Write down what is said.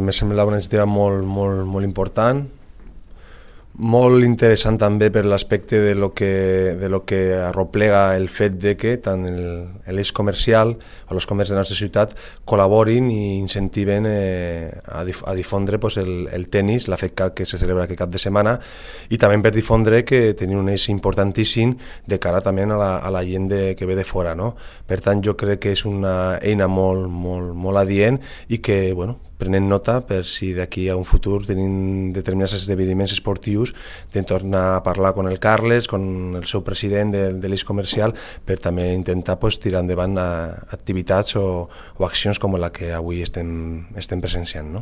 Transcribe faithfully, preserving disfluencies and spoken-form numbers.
Me semblava una iniciativa molt, molt, molt important, molt interessant també per l'aspecte de lo que, de lo que arroplega el fet de que tant l'eix comercial o els comerços de la nostra ciutat col·laborin i incentiven eh, a, dif a difondre pues, el, el tennis, la FEDCAT que se celebra aquest cap de setmana, i també per difondre que tenim un eix importantíssim de cara també a la, a la gent de, que ve de fora, no? Per tant, jo crec que és una eina molt, molt, molt adient i que, bueno, prenent nota per si d'aquí a un futur tenim determinats esdeveniments esportius de tornar a parlar amb el Carles, amb el seu president de, de l'eix comercial, per també intentar pues, tirar endavant a, activitats o, o accions com la que avui estem, estem presenciant. No?